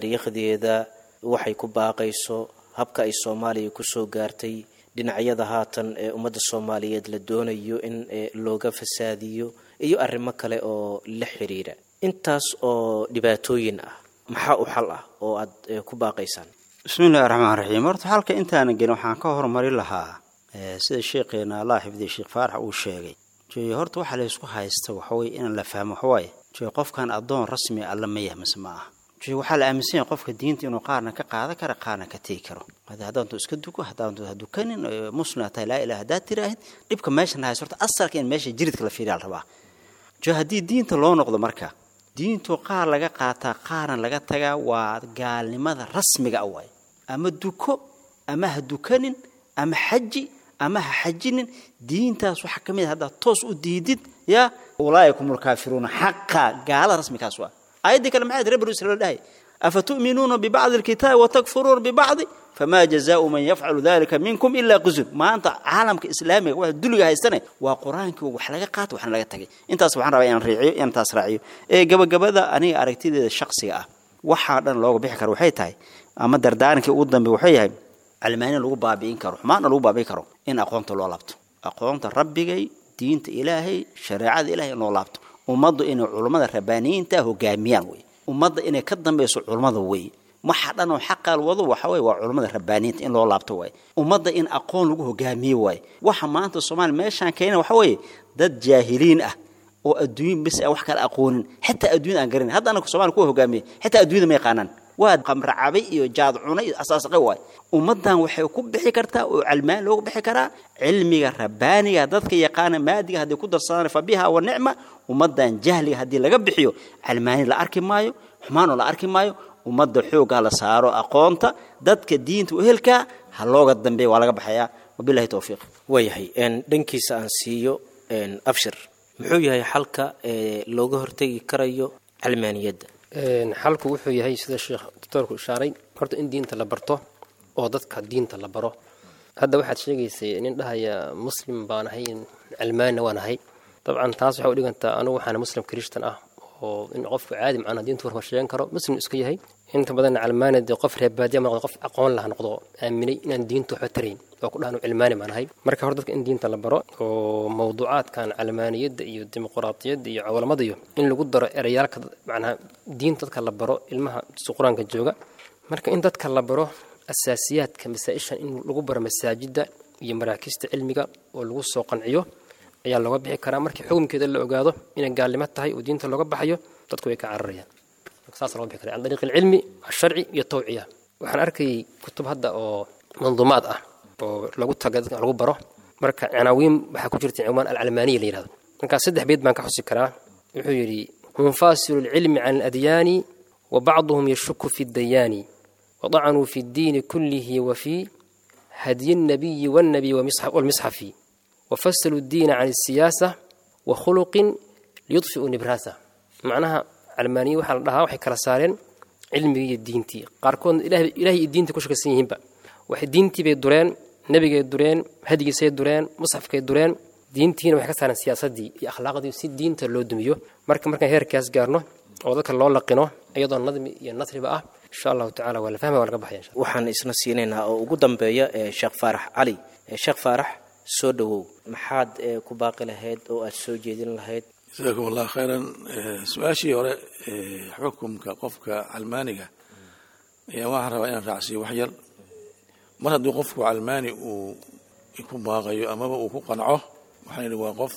taariikhdeeda, waxay ku baaqayso, habka ay Soomaaliya kusoo gaartay, dhinacyada haatan ee ummadda Soomaaliyeed la doonayo in looga fasaadiyo iyo arrimo kale oo la xiriira. Intaas oo dhibaatooyin ah maxaa u xal ah oo aad ku baaqaysaan? Bismi illahi raxmaan raxiim. Horta xalka intaana gelin waxaan ka hormari lahaa sida sheekheena allah xifdiya Sheekh Faarax uu sheegay. Jooye horta waxa la isku haysta waxaweye inaan la fahmo waxawaaye, jooye qofkan addoon rasmi alla ma yahay mise ma aha. Jooye waxaa la aaminsan yahay qofka diinta inuu qaarna ka qaadan karo qaarna ka tegi karo. Haddaantu iska duko, haddaantu ha dukanin, muslim tahay, laa ilaha haddaad tiraahid, dhibka meeshan haysto horta asalka in meesha jiridka la fiiriyaa la rabaa. Jooye haddii diinta loo noqdo, marka diintu qaar laga qaataa qaarna laga tagaa waa gaalnimada rasmiga ah waaye. Ama duko ama ha dukanin, ama xaji ama ha xajinin, diintaas waxaa ka mid ah haddaad toos u diidid, yaa ulaa'ikum alkaafiruuna xaqa, gaalada rasmikaas waa. Aayaddii kale maxay reer banu israiil dhahay? Afatu'minuuna bibacdi alkitaabi watakfuruuna bibacdi famaa jazaau man yafcalu dalika minkum ilaa quzun. Maanta caalamka islaamiga waxa duliga haystane waa qur-aankii wax laga qaato waxna laga tagay. Intaas waxaan rabaa inaan raaciyo, inaan taas raaciyo. Ee gabagabada aniga aragtideeda shakhsiga ah waxaa dhan looga bixi karo waxay tahay, ama dardaarankii ugu dambe waxay yahay, Calmaaniya lagu baabi'in karo, xumaanna lagu baabi'in karo, in aqoonta loo laabto, aqoonta rabbigay, diinta ilaahay, shareecada ilahay in loo laabto. Ummaddu inay culummada rabbaaniyiinta hogaamiyaan wey, ummadda inay ka dambayso culummada wey. Waxa dhan oo xaqaal wado waxa wey waa culummada rabbaaniyiinta in loo laabto waay, ummadda in aqoon lagu hogaamiyo waay. Waxa maanta Soomaaliya meeshaan keena waxa weeye dad jaahiliin ah oo adduun bis ah, wax kala aqoonin, xitaa adduun aan garanin. Hadda anaka Soomaaliya kuwa hogaamiye xitaa adduunyada ma yaqaanaan, waa qamra cabay iyo jaad cunay iyo asaasaqay waay. Ummaddan waxay ku bixi kartaa oo calmaan loogu bixi karaa cilmiga rabbaaniga. Dadka yaqaana maadiga hadday ku darsadaan, fa biha wa nicma. Ummaddan jahliga haddii laga bixiyo, calmaani la arki maayo, xumaanoo la arki maayo. Ummadda xooggaa la saaro aqoonta, dadka diinta u ehelkaa ha looga dambeeya, waa laga baxayaa. Wabillahi towfiiq. Waayahay, dhankiisa aan siiyo Abshir, muxuu yahay xalka ee looga hortegi karayo calmaaniyadda? Xalku wuxuu yahay sida sheekh doctoorku ishaaray, horta in diinta la barto oo dadka diinta la baro. Hadda waxaad sheegaysay nin dhahaya muslim baan ahay, calmaanina waan ahay. Dabcan taas waxay u dhigantaa anugu waxaana muslim krishtan ah, oo in qofku caadi macnaha diinta warka sheegan karo, muslim iska yahay. Inta badan calmaani dee qof reer baadiya ma noqdo, qof aqoon laha noqdo, aaminay inaan diinta waxba tarayn oo ku dhahan cilmaani baan ahay. Marka hore dadka in diinta la baro oo mawduucaadkan calmaaniyadda iyo dimuqraadiyadda iyo cawlamada iyo in lagu daro ereyaalka macnaha diinta dadka la baro, ilmaha qur-aanka jooga. Marka in dadka la baro asaasiyaadka masaa-ishan, in lagu baro masaajidda iyo maraakista cilmiga oo lagu soo qanciyo ayaa looga bixi karaa. Markii xukunkeeda la ogaado inay gaalnimo tahay oo diinta looga baxayo, dadku way ka cararayaan. Saas looga bixi karaa can dariiqi alcilmi alsharci iyo tawciya. Waxaan arkayay kutub hadda oo manduumaad ah oo lagu taga dadka lagu baro. Marka canaawiin waxaa ku jirta cinwaan alcalmaaniya la yihahdo. Markaa 3 beyd baan ka xusi karaa. Wuxuu yidhi: munfasilu alcilmi can aladyaani wa bacduhum yashuku fi dayaani wadacanuu fi ddiini kullihi wa fi hadyi الnabiyi wاnnabiy walmisxafi wafasaluu اddiina can الsiyaasa wa khuluqin liyudfi'uu nibraasa. Macnaha calmaaniye waxaa la dhahaa waxay kala saareen cilmigii iyo diintii. Qaarkoodna ilahay iyo diintii ku shakaysan yihiinba. Waxay diintii bay dureen, nebigay dureen, hadigiisay dureen, musxafkay dureen, diintiina waxay ka saareen siyaasaddii iyo akhlaaqdii si diinta loo dumiyo. Marka markaan heerkaas gaarno oo dadka loo laqino iyadoo nadmi iyo nasriba ah, insha allahu tacala waa la fahmaya, waa laga baxaya insha. Waxaan isna siinaynaa oo ugu dambeeya Sheekh Faarax Cali. Sheekh Faarax, soo dhowow, maxaad ku baaqi lahayd oo aad soo jeedin lahayd? Jasaakum allah khayran. Su-aashii hore, xukumka qofka calmaaniga, ayaa waxaan rabaa inaan raacsiiyo wax yar. Mar hadduu qofku calmaani uu ku baaqayo amaba uu ku qanco, waxaan yidhi waa qof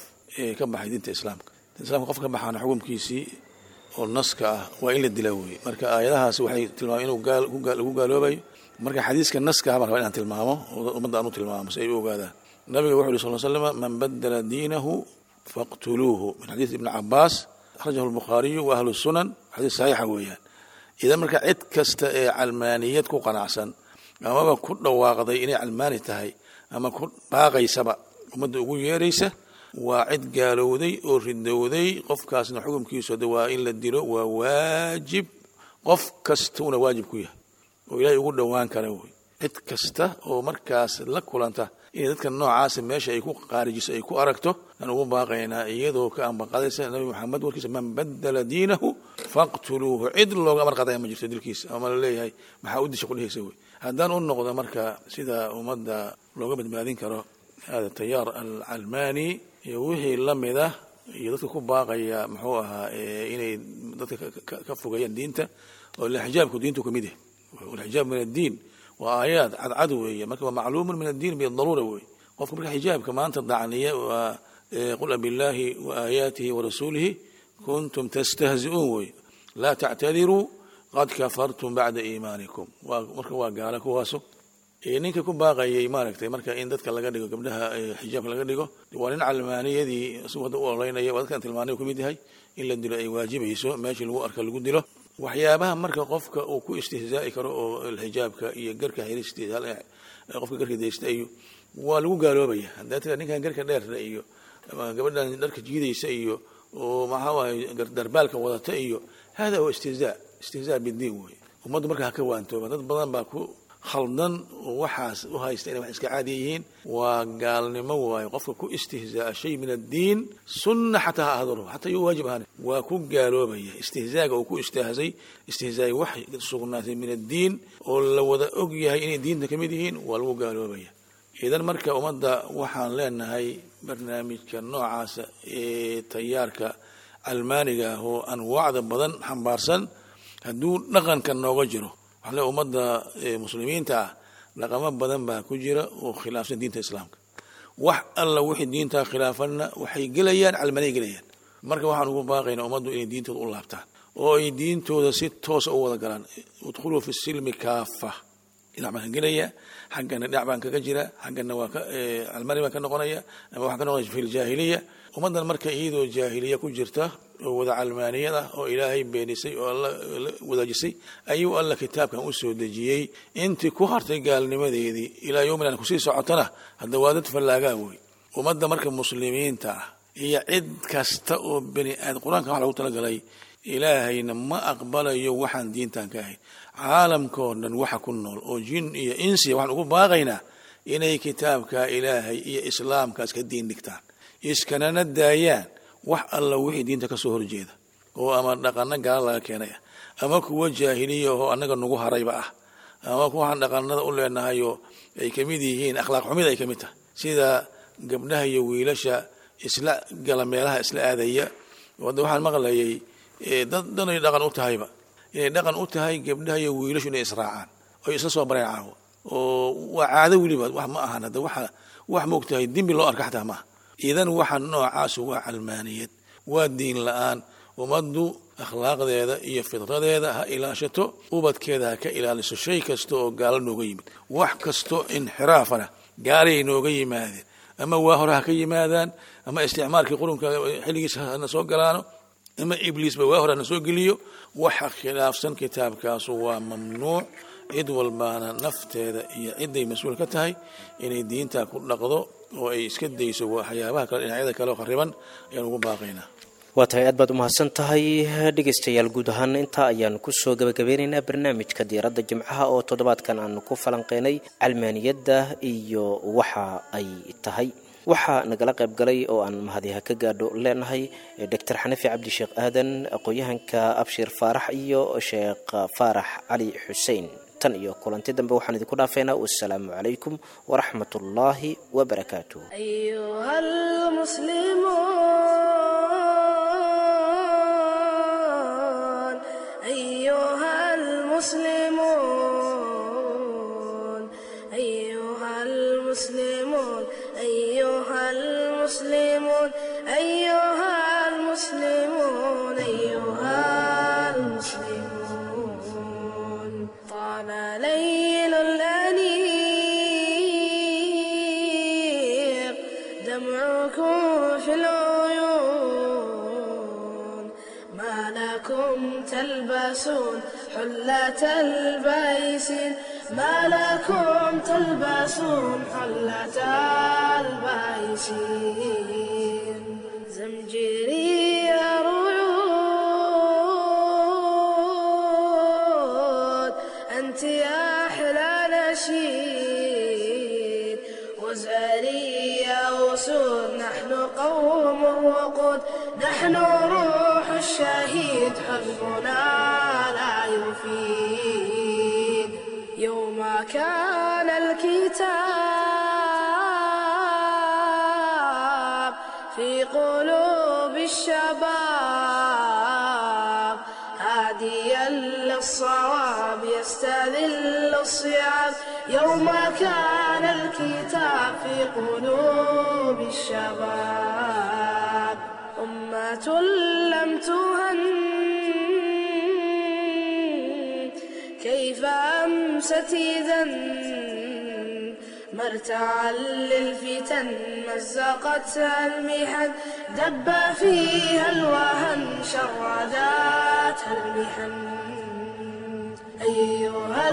ka baxay diinta islaamka. Diinta islaamka qof ka baxaana xukumkiisii oo naska ah waa in la dilaa weye. Marka aayadahaasi waxay tilmaameen inuu lagu gaaloobayo. Marka xadiiska naska ah baan rabaa inaan tilmaamo oo ummadda aan u tilmaamo si ay u ogaadaan. Nabiga wuxuu yidhi sal slam: man badala diinahu faqtuluuhu, min xadiis ibni Cabaas, akhrajahu albukhaariyu wa ahlu sunan, xadiis saxiixa weeyaan. Idan marka cid kasta ee calmaaniyad ku qanacsan amaba ku dhawaaqday inay calmaani tahay ama ku baaqaysaba ummadda ugu yeeraysa, waa cid gaalowday oo ridowday. Qofkaasna xukumkiisu hadda waa in la dilo, waa waajib, qof kastuuna waajib ku yahay oo ilaahay ugu dhowaan kara wey. Cid kasta oo markaas la kulanta inay dadka noocaasa meesha ay ku qaarijiso ay ku aragto, aan ugu baaqaynaa iyadoo ka ambaqadaysa Nabi Maxamed warkiisa: man badala diinahu faqtuluuhu. Cid looga amar qaadaya ma jirto dilkiisa ama la leeyahay maxaa u disha kudhehaysa wey. Haddaan u noqdo marka sida ummadda looga badbaadin karo hada tayaar alcalmaani iyo wixii la mid ah iyo dadka ku baaqaya muxuu ahaa inay dadka ka fogeeyaan diinta, oo ila xijaabku diintu kamid yahay, walxijaab min addiin, waa aayaad cadcad weeye. Marka waa macluumun min addiin bidaruura weeye. Qofka marka xijaabka maanta dacniya waa qul abillaahi wa aayaatihi wa rasuulihi kuntum tastahzi'uun weye, laa tactadiruu qad kafartum bacda iimaanikum. Marka waa gaala kuwaasu. Ninka ku baaqayay maaragtay marka in dadka laga dhigo gabdhaha xijaabka laga dhigo, waa nin calmaaniyadii isagu hadda u ololeynaya, waa dadkan tilmaanay kamid yahay in la dilo ay waajibayso, meeshii lagu arka lagu dilo. Waxyaabaha marka qofka uu ku istihzaa'i karo oo xijaabka iyo garka xiristiisa, qofka garka deysta iyo waa lagu gaaloobaya. Haddaa tira ninkan garka dheerna iyo gabadhan dharka jiidaysa iyo oo maxaa waaye darbaalka wadata iyo hada huwa istihzaa, istihzaa bidiin wey. Ummaddu marka ha ka waantooba, dad badan baa ku Khaldan oo waxaas u haysta inay wax iska caadi yihiin waa gaalnimo waayo. Qofka ku istihzaa'a shay min addiin, sunna xataa ha ahaado, xataa yuu waajib ahaan, waa ku gaaloobaya. Istihzaaga uu ku istihzay istihzaay wax sugnaatay min addiin oo la wada og yahay inay diinta ka mid yihiin, waa lagu gaaloobaya. Idan marka ummadda waxaan leenahay barnaamijka noocaasa ee tayaarka almaaniga ah oo anwaacda badan xambaarsan hadduu dhaqanka nooga jiro, waxaan leeyahay ummadda muslimiinta ah dhaqamo badan baa ku jira oo khilaafsan diinta islaamka. Wax alla wixii diintaa khilaafanna waxay gelayaan calmaniya gelayaan. Marka waxaan ugu baaqaynaa ummaddu inay diintooda u laabtaan oo ay diintooda si toosa u wada galaan. Udkhuluu fi silmi kaafa. Dhinac baan ka gelaya, xaggana dhinac baan kaga jira, xaggana waa ka calmani baan ka noqonaya ama waxaan ka noqonaya fi ljaahiliya. Ummaddan marka iyadoo jaahiliya ku jirta oo wada calmaaniyad ah oo ilaahay beenisay oo alla la wadaajisay ayuu alla kitaabkan u soo dejiyey. Intii ku hartay gaalnimadeedii ilaa yowminan kusii socotana hadda waa dad fallaagaa wey. Ummadda marka muslimiinta ah iyo cid kasta oo bani aadam, qur-aanka wax lagu talagalay, ilaahayna ma aqbalayo waxaan diintan ka ahayn. Caalamkoo dhan waxa ku nool oo jin iyo insiya waxaan ugu baaqaynaa inay kitaabka ilaahay iyo islaamkaas ka diin dhigtaan, iskanana daayaan wax alla wixii diinta ka soo horjeeda oo ama dhaqano gaala laga keenaya ama kuwa jaahiliya oo annaga nagu harayba ah ama kuwaxaan dhaqanada u leenahayoo ay ka mid yihiin akhlaaq xumida ay ka mid tahay, sida gabdhaha iyo wiilasha isla gala meelaha isla aadaya. Hadda waxaan maqlayay dad dhanay dhaqan u tahayba, inay dhaqan u tahay gabdhaha iyo wiilashu inay israacaan oy isla soo bareen caawa, oo waa caado weliba. Wax ma ahan hadda waxa wax moogtahay dembi loo arka xataa maaha. Idan waxa noocaasu waa calmaaniyad, waa diin la-aan. Ummaddu akhlaaqdeeda iyo fidradeeda ha ilaashato, ubadkeeda ha ka ilaaliso shay kasta oo gaalo nooga yimid. Wax kasto inxiraafana gaalay nooga yimaadeen, ama waa hore ha ka yimaadaan, ama isticmaalkii qurunka xilligiisa hana soo galaano, ama ibliisba waa hore hana soo geliyo. Waxa khilaafsan kitaabkaasu waa mamnuuc. Cid walbaana nafteeda iyo ciday mas-uul ka tahay inay diinta ku dhaqdo oo ay iska dayso waxyaabaha kale, dhinacyada kale oo khariban ayaan ugu baaqaynaa. Waa tahay, aad baad umahadsan tahay. Dhegaystayaal, guud ahaan intaa ayaan kusoo gabagabeynaynaa barnaamijka diiradda jimcaha oo toddobaadkan aanu ku falanqeynay calmaaniyadda iyo waxa ay tahay. Waxaa nagala qayb galay oo aan mahadiha ka gaadho leenahay doctor Xanafi Cabdisheekh Aadan, aqoon-yahanka Abshir Faarax iyo Sheekh Faarax Cali Xuseen. Tan iyo kulanti dambe waxaan idinku dhaafeynaa wassalaamu calaykum waraxmat ullaahi wabarakaatuh. أيها المسلمون، أيها المسلمون، أيها المسلمون، أيها المسلمون، أيها المسلمون، أيها المسلمون. طال ليل الأنيق دمعكم في العيون، ما لكم تلبسون حلة البيس، ما لكم تلبسون حلة البيس. زمجري رعود، أنت يا أحلى نشيد، وزاري يا أسود، نحن قوم وقود، نحن روح الشهيد حزبنا لا يفيد. يوم كان الكتاب في قلوب الشباب، هاديا للصواب يستذل الصعاب. يوم كان الكتاب في قلوب الشباب، أمة لم تهن كيف أمست إذا، مرتعا للفتن مزقتها المحن، دب فيها الوهن شرداتها المحن. أيها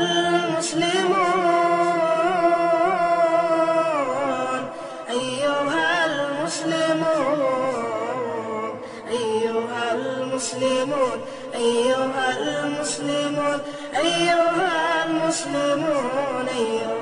المسلمون، أيها المسلمون، أيها المسلمون، أيها المسلمون، أيها المسلمون. المسلمون أيها